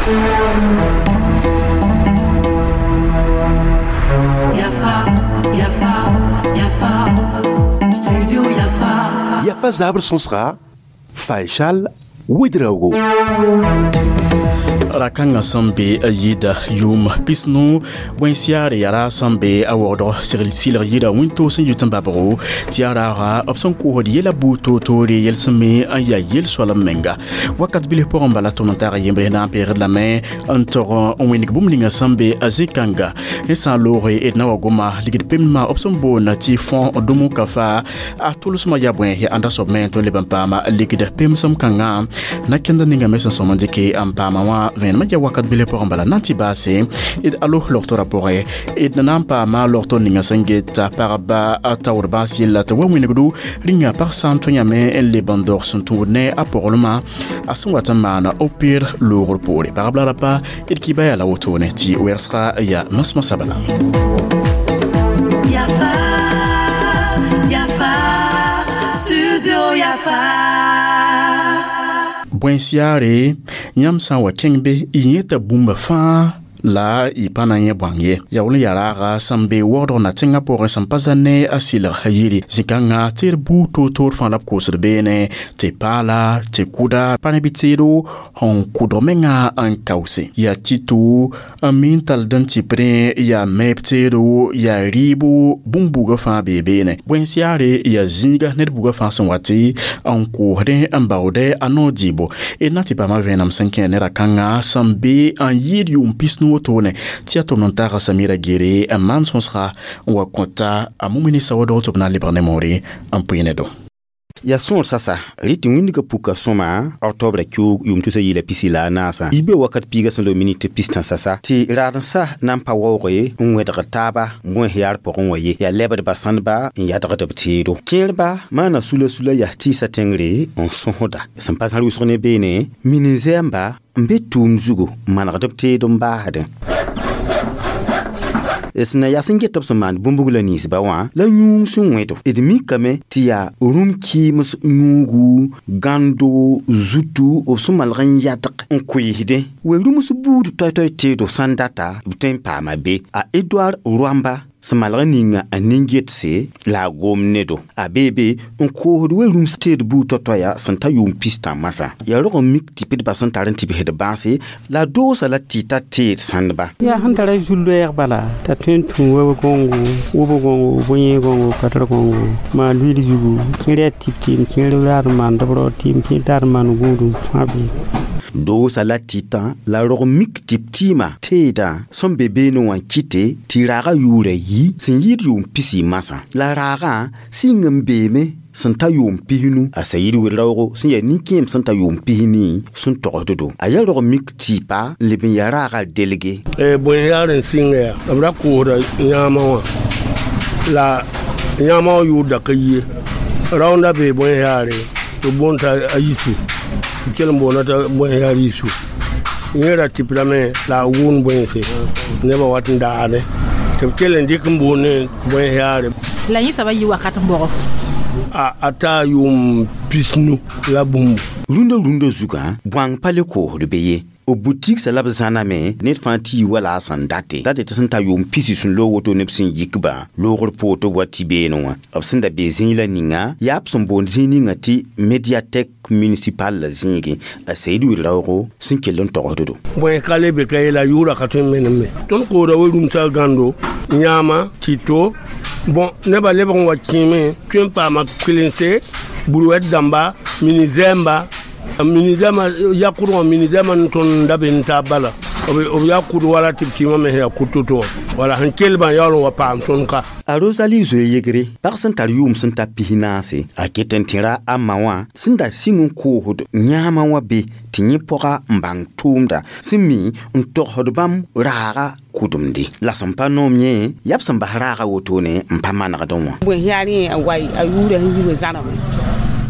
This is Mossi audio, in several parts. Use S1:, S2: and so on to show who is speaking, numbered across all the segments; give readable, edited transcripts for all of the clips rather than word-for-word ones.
S1: Yafa, Yafa, Yafa, Studio Yafa.
S2: Yafa zabr sõsga Faisal Ouedraogo.
S3: Rakãngã sẽn be yɩɩda yʋʋm pisnu bõe-siaare yaa ra sẽn be a waoodg silg yɩɩda wĩntoog sẽn yit n babgo tɩ yaa raaga b sẽn koosd yɛla buud toor-toore yel-sẽn me n yaa yel-soalem menga. Wakat bilf pʋgẽ bala tʋm n tag yembre na n peegd lame n tog n wẽneg bũmb ninga sẽn be a zĩ-kãnga ne sã n looge d na wa goma ligd pemdmã b sẽn boond tɩ fõ dũmu ka fa a tʋlsmã yaa bõe ya ãnda soab me tõe n leb n paama ligd pemsem kãngã na kẽnd ninga me sẽn sõm n dɩke n paama wã vẽenemã yaa wakat bilf pʋgẽ bala na n tɩ baase d alo logtorã pʋgẽ d na n paama logtor ninga sẽn geta pagba taoor bãas yella tɩ wa wĩnigdo rĩnga pag sã n tõe yãme n leb n dog sẽn tũud ne a pʋglmã a sẽn wat n maana opir loogr poore pagb la rapa d kɩba yaa la wotone tɩ wɛgsga yaa masmasã bala.
S1: Yafa, Yafa, Studio Yafa.
S3: Bõe-siaare yãmb sã n wa kẽng be y yẽta bũmba fãa la y pa na n yẽ bõang ye. Yaool n yaa raaga sẽn be waoodg na tẽngã pʋgẽ sẽn pa zã ne a sɩlg yiri zĩ-kãngã tɩ d buud toor-toor fãa la b koosd beene tɩ paala tɩ kʋda pa ne bɩ teedo sẽn kʋdg menga n kaoose yaa tito n mi n tall n tɩpdẽ yaa meeb teedo yaa rɩɩbo bũmb-bugã fãa bee beene. Bõe-siaare yaa zĩiga ned bugã fãa sẽn wa tɩ n koosdẽ n baoodɛ a noor dɩɩbo d na tɩ paama vẽenem sẽn kẽ ne ra-kãngã sẽn be n yɩɩd yʋʋm pisnu wotone tɩ yaa tʋm n taaga Samira Gere n maan sõsga n wa kõta a mumini sawadg tɩ b na n lebg ne moore n pʋɩ ne do.
S4: Ya sõor sasa rɩ tɩ wĩndgã puka sõma octobre kiuug yʋʋm tusa yɩɩla pisi la a naasã y be wakat piiga sẽn loog minit pistã sasa tɩ raadensã na n pa waooge n wẽdgd taaba bões yaar pʋgẽ wã ye yaa lebdba sãndba n yadgd b teedo kẽerba maana sula-sula yaa tɩɩsã tẽngre n sõsda sẽn pa zãr wʋsg ne beene min-zɛɛmba n be tʋʋm zugu n manegd b teed n baasdẽ sẽn na yaa sẽn get b sẽn maand bũmb-bugla ninsba wã la yũung sẽn wẽdo d mikame tɩ yaa rũm kɩɩms yũugu gãndo zutu b sẽn malg n yadg n koeesdẽ we-rũms buud toay-toay teedo sãn data b tõe n paama be a Edward Rwamba sẽn malg n ninga a nin-getse la a gom nedo a beebe n koosd we-rũms teed buud tao-taoya sẽn ta yʋʋm pistã masã yaa rog n mik tɩ pdba sẽn tar n tɩbsd bãase la doosa la tɩ ta teed sãndba.
S5: Yaa sẽn tara zu-loɛɛg bala t'a tõe n tũ web gõngo wʋb gõngo bõe gõngo patr gõngo maan luiil zugu kẽer yaa tɩp tɩɩm kẽer raad n maand b rao tɩɩm kẽer taad n maan gũudum fãa bee.
S4: Doosa la tɩtã la rog mik tɩ b tɩɩmã teedã sẽn be beene wã kɩte tɩ raagã yʋʋra yi sẽn yɩɩd yʋʋm pisi masã la raagã sɩng n beeme sẽn ta yʋʋm pisnu a Sayiid Wed-raoogo sẽn yaa nin-kẽem sẽn ta yʋʋm pisni sẽn togsd-do a yaa rog mik tɩɩpa n leb n yaa raagã delge.
S6: Bõe yaar n sɩnga yaa b ra koosda yãamã wã la yãamã wã yʋʋr da ka yi ye raoonda bee bõe yaare tɩ b boond t'a a yisu b kell n boonda t'a bõe yaar yisu yẽ ra tɩpdame la a wʋʋn bõense nebã wat n daagdẽ tɩ b kell n dɩk n boond ne bõe yaare.
S7: La yẽ soabã yɩ wakat n bɔgɔ
S6: a taa yʋʋm pisnu la bũmbu.
S4: Rũndã zugã bõang pa le koosd be ye b butiksa la b zãname ned fãa tɩ yi wala a sẽn date date tɩ sẽn ta yʋʋm pisi sẽn loog woto neb sẽn yikbã loogr poor tɩ b wa tɩ beene wã b sẽn da be zĩig la ninga yaa b sẽn boond zĩig ninga tɩ médiathèque municipal la zĩigẽ a Sayiid Wed-raoogo sẽn kell n togsd-do.
S6: Bõe ka le be ka ye la yʋʋra ka tõe n menem me tõnd koora we-rũmsã gãndo yãama tɩto bõn nebã lebg n wa kẽeme tõe n paama kɩlense burwɛd dãmba mini-zɛɛmba mini-zɛɛmã yakʋdgã mini-zɛɛmã n tõnd da be n taab bala b yaa kʋd wala tɩ b kɩɩmã me sẽn yaa kʋd to-to wã wala sẽn kelbã yaool n wa paam tõnd ka.
S4: A Rosalie zoe yegre pag sẽn tar yʋʋm sẽn ta pis-naase a ket n tẽra a ma wã sẽn da sɩng n koosd yãamã wã be tɩ yẽ pɔga n bãng tʋʋmda sẽn mi n togsd bãmb raaga kʋdemde la sẽn pa noom yẽ yaa b sẽn bas raaga wotone n pa manegdẽ wã.
S8: Bõe yaar yẽ a wa a yʋʋra sẽn yi we zãname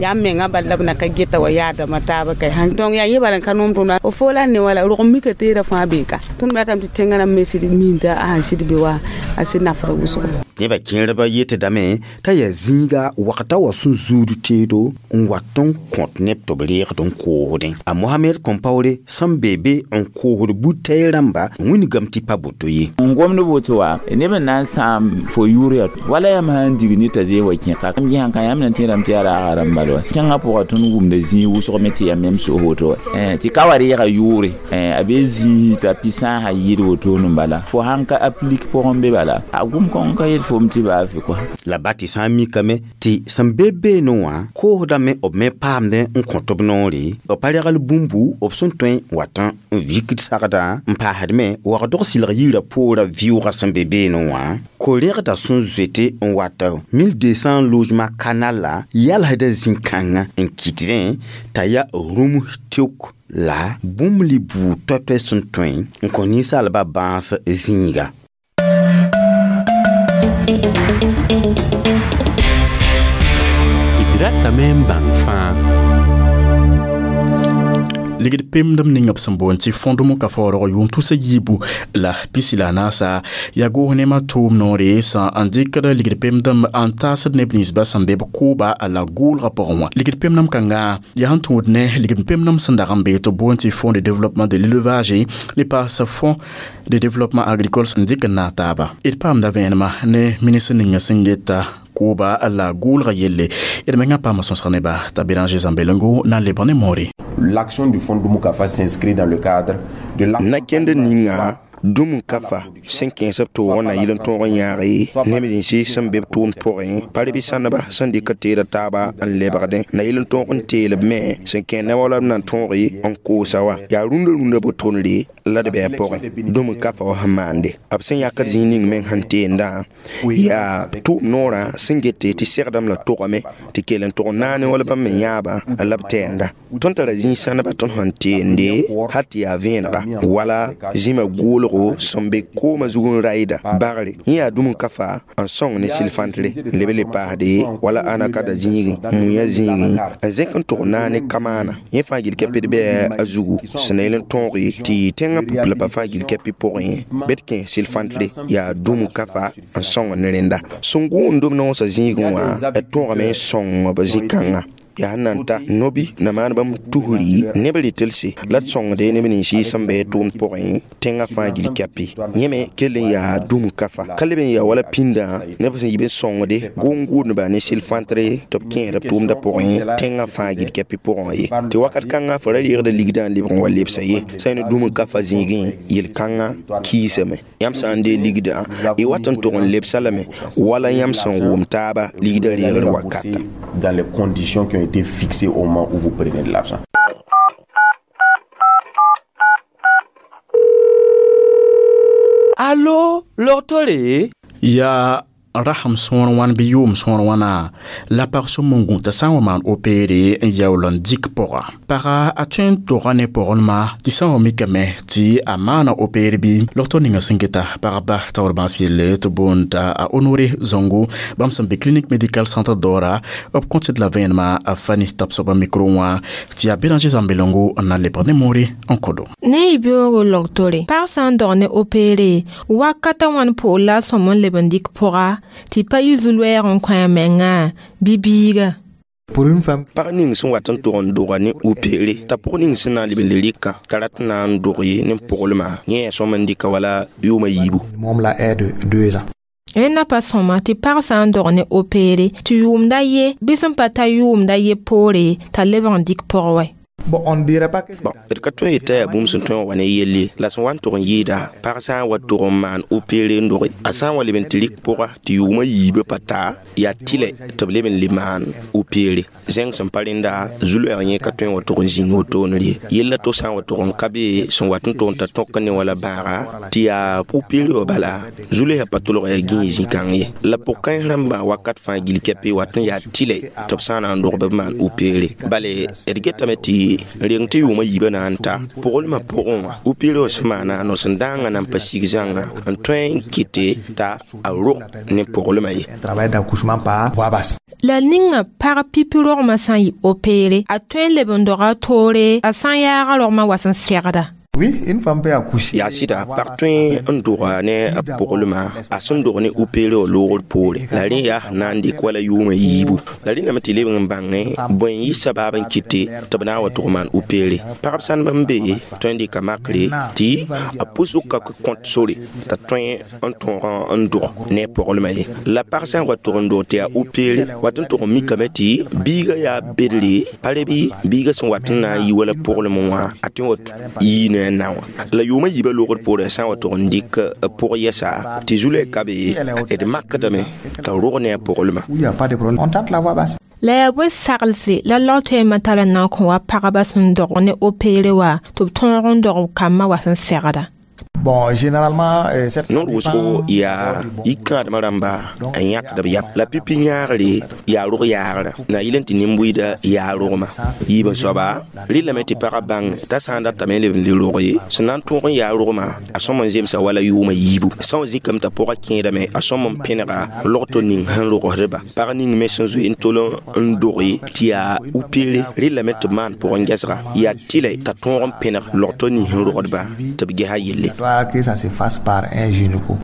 S8: Yaa menga bal la b na ka geta wa yaadãmbã taabã ka donc yaa yẽ bala n ka noom tõnd f fo la ne wala rog mika teedã fãa bee ka tõnd ratame tɩ tẽngã rãmb me sɩd minda a sãn sɩd be wa a sɩd nafda wʋsgo.
S4: Nebã kẽerdbã yetdame t'a yaa zĩiga wakata wa sẽn zuud teedo n wat n kõt neb tɩ b reegd n koosdẽ. A Mohamed Compaoré sẽn be be n koosd butɛɛ rãmba wĩnigame tɩ pa boto ye.
S9: N gomd woto wa neb n na n sãam fo yʋʋr yaa wala yãmb sã n dig ne t'a zee wa kẽka m sãn ka yãmb na tẽedame tɩ yaa raaga rãmb bala wa tẽngã pʋga tõnd wʋmda zĩig wʋsg me tɩ yaa mem sos woto wa tɩ ka wa reega yʋʋre a be zĩis t'a pi-sãasã yɩɩd wotone n bala fo sãn ka aplik pʋgẽ be bala a gʋm kõn ka yet fom tɩ baa fɩ kɔa.
S4: La ba tɩ sã n mikame tɩ sẽn be beene wã koosdame b me paamdẽ n kõt b noore b pa regl bũmbu b sẽn tõe n wat n vikd sagdã n paasd me wagdg sɩlg yirã poorã vɩʋʋgã sẽn be beene wã ko-rẽgda sẽn zoete n wat 1200 logement kanal la yalsda zĩ-kãngã n kɩtdẽ t'a yaa rũms teok la bũmb li buud toay-toay sẽn tõe n kõ ninsaalbã bãas zĩiga.
S2: D ratame n bãng fãa.
S3: Ligd pemdem ning b sẽn boond tɩ fõdem ka faoorg yʋʋm tusa yiibu la pisi la naasa yaa goos nemã tʋʋm noore sã n dɩkd ligd pemdem n taasd neb ninsbã sẽn be b kʋʋba la gʋʋlgã pʋgẽ wã. Ligd pemdem kãngã yaa sẽn tũud ne ligd pemdem sẽn dag n bee tɩ boond tɩ Fonds de développement de l'élevage ne paas Fonds de développement agricole n dɩk n naag taaba. D paamda vẽenemã ne ministr ninga sẽn geta kʋʋba la gʋʋlgã yelle d mengã paama sõsg neba t'a Béranger Zambelengo na n lebg ne moore.
S10: L'action du Fonds Dumukafa s'inscrit dans le cadre de la
S11: Nakẽnd ninga Dumukafa sẽn kẽes b toogã na yɩl n tõog n yãage neb ninsi sẽn be b tʋʋmd pʋgẽ pa reb sãneba sẽn dɩk teeda taaba n lebgdẽ na yɩl n tõog n teel b me sẽn kẽ neb wala b na n tõoge n koosa wa yaa rũndã rũndã botonre la d bɩ a pʋgẽ Dumukafa wa sẽn maande b sẽn yãkd zĩig ning meng sẽn teendã yaa tʋʋm noorã sẽn gete tɩ segdame la togame tɩ kell n tog n naane wala bãmb me yãaba la b tɛɛnda tõnd tara zĩig sãneba tõnd sẽn teende hal tɩ yaa vẽenega wala zĩmã goolgo sẽn be koomã zug n raɩda bagre yẽ yaa Dumukafa n sõng ne sɩl-fãntre n leb le paasde wala ãna kada zĩigẽ muyã zĩigẽ n zẽk n tog naane kamaana yẽ fãa gil kɛpd bɩ a zugu sẽn na yel n tõoge tɩ tẽngã pʋplpa fãa gil kɛpɩ pʋgẽ bɩ d kẽ sɩl-fãntre yaa Dumukafa n sõng ne rẽnda sẽn gʋʋnd b noosã zĩigẽ wã d tõogame n sõng b zĩ-kãngã yaa sẽn na n ta nobi na maan bãmb tusri neb rɩtelse la d sõngde neb ninsi sẽn be tʋʋmd pʋgẽ tẽngã fãa gil kɛpɩ yẽ me kell n yaa Dumukafa ka leb n yaa wala pĩndã neb sẽn yɩ b n sõngde gʋʋn-gʋʋdneba ne sɩl-fãntre tɩ b kẽesd b tʋʋmdã pʋgẽ tẽngã fãa gil kɛpɩ pʋgẽ ye tɩ wakat kãngã fo ra reegda ligdã n lebg n wa lebsa ye sã ne Dumukafa zĩigẽ yel-kãngã kiisame yãmb sã n dee ligdã y wat n tog n lebsa lame wala yãmb sẽn wʋm taaba ligdã reegr wakata.
S10: Dans les conditions qui ont été fixées au moment où vous prenez de l'argent.
S4: Allo, logtore?
S3: Yaa rasem sõor wãn bɩ yʋʋm sõor wãna la pag sõm n gũ t'a sã n wa maan opere n yaool n dɩk pʋga paga a tõe n toga ne pʋgẽnma tɩ sã n wa mikame tɩ a maana opere bɩ logto ninga sẽn geta pagba taoor bãas yelle tɩ boonda a Honoré Zongo bãmb sẽn be clinique médical centre Dora b kõt d la vẽenemã a Fani tabsgba micro wã tɩ yaa Béranger Zambelengo n na lebg ne moore n kodo.
S12: Ne y beoogo logtore pag sã n dog ne opere wakata wãn poor la a sõm n leb n dɩk pʋga tɩ pa yɩ zu-loɛɛg n kõ a mengã bɩ biiga.
S11: Pag ning sẽn wat n tog n doga ne opere t'a pʋg ning sẽn na n leb n le rɩka t'a rat n na n dog ye ne pʋglmã yẽ yaa sõm n dɩka wala yʋʋmã yiibu.
S12: Rẽnda pa sõma tɩ pag sã n dog ne opere tɩ yʋʋmda ye bɩ sẽn pa ta yʋʋmda ye poore t'a lebg n dɩk pʋg wɛ.
S11: Bon, d ka tõe yetã yaa bũmb sẽn tõe n wa ne yell ye la sẽn wa n tog n yɩɩda pag sã n wa tog n maan opere n doge a sã n wa leb n tɩ rɩk pʋga tɩ yʋʋmã yiibã pa ta yaa tɩlɛ tɩ b leb n le maan opere zẽng sẽn pa rẽnda zu-loɛɛg yẽ ka tõe n wa tog n zĩnd wotone ye yella to sã n wa tog n ka be sẽn wat n tog n ta tõk ne wala bãaga tɩ yaa opere wã bala zu-loɛɛgã pa tolg yaa gĩig zĩ-kãng ye la pʋg-kãens rãmbã wakat fãa gil kɛpɩ wat n yaa tɩlɛ tɩ b sã n na n dog b maan opere bale d getame tɩ tɩ reng tɩ yʋʋmã yiibã na n ta pʋglmã pʋgẽ wã opere wã sẽn maana no-sẽn-dãangã na n pa sig zãnga n tõe n kɩte t'a a rog ne pʋglmã ye.
S12: La ninga pag pipi rogmã sã n yɩ opere a tõe n leb n doga toore a sã n yaaga rogmã wa sẽn segda.
S13: Oui, une femme peut accoucher.
S11: Yaa sɩda pag tõe n doga ne a pʋglmã a sẽn dog ne opere wã loogr poore la rẽ yaa na n dɩk wala yʋʋmã yiibu la rẽndame tɩ lebg n bãngẽ bõe n yɩ sabaab n kɩte tɩ b na n wa tʋg maan opere pagb sãndb n be tõe n dɩka makre tɩ a pʋsg ka kõt sore t'a tõe n tõog n dog ne a pʋglmã ye la pag sã n wa tʋg n dog tɩ yaa opere wat n tʋg n mikame tɩ biigã yaa bedre pa re bɩ biigã sẽn wat n na n yi wala pʋglmẽ wã a tõe n wa yii ne a na wã la yʋʋmã yiibã loogd poorẽ sã n wa tʋg n dɩk pʋg yɛsa tɩ zu-loɛɛ ka be d makdame t'a rog ne a pʋglmã.
S13: Il n'y a pas de problème. On tente la voie basse.
S12: La yaa bõe saglse la log-toɛɛmã tara n na n kõ wa pagba sẽn dog ne opere wã tɩ b tõog n dog b kambã wa sẽn segda.
S13: Bon, généralement, cette
S11: Noor wʋsgo yaa yikãadmã rãmba n yãkd b yam la pipi yãagre yaa rog yaagrã na yɩl n tɩ nin-buiida yaa rogmã yiib n soaba rɩlame tɩ pagã bãng t'a sã n datame n leb n le rog ye sẽn na n tõog n yaa rogmã a sõm n zemsa wala yʋʋmã yiibu sã n zikame t'a pʋgã kẽedame a sõm n pẽnega logto ning sẽn rogsdba pag ning me sẽn zoe n tol n doge tɩ yaa upere rɩlame tɩ b maan pʋgẽ gɛsga yaa tɩlɛ t'a tõog n pẽneg logto ning sẽn rogdba tɩ b gesa yelle.
S13: Que ça se fasse par un gynéco.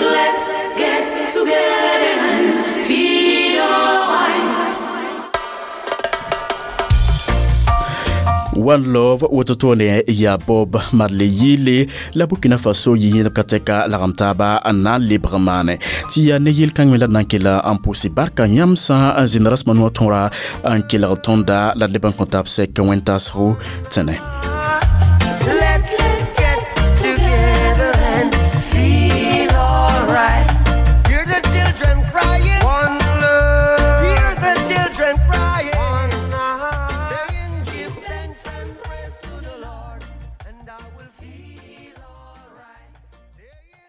S1: Let's get together and feel alright.
S3: One Love woto toone yaa Bob Marley yɩɩle la Burkina Faso yɩ yẽdb ka tɛka lagem taaba n na n lebg maane tɩ yaa ne yel-kãng me la d na n kella n pʋʋse barka yãmb sã n zĩnd rasmã noor tõora n kelg tõnda la d leb n kõ taab sɛk wẽn-taasgo tẽne.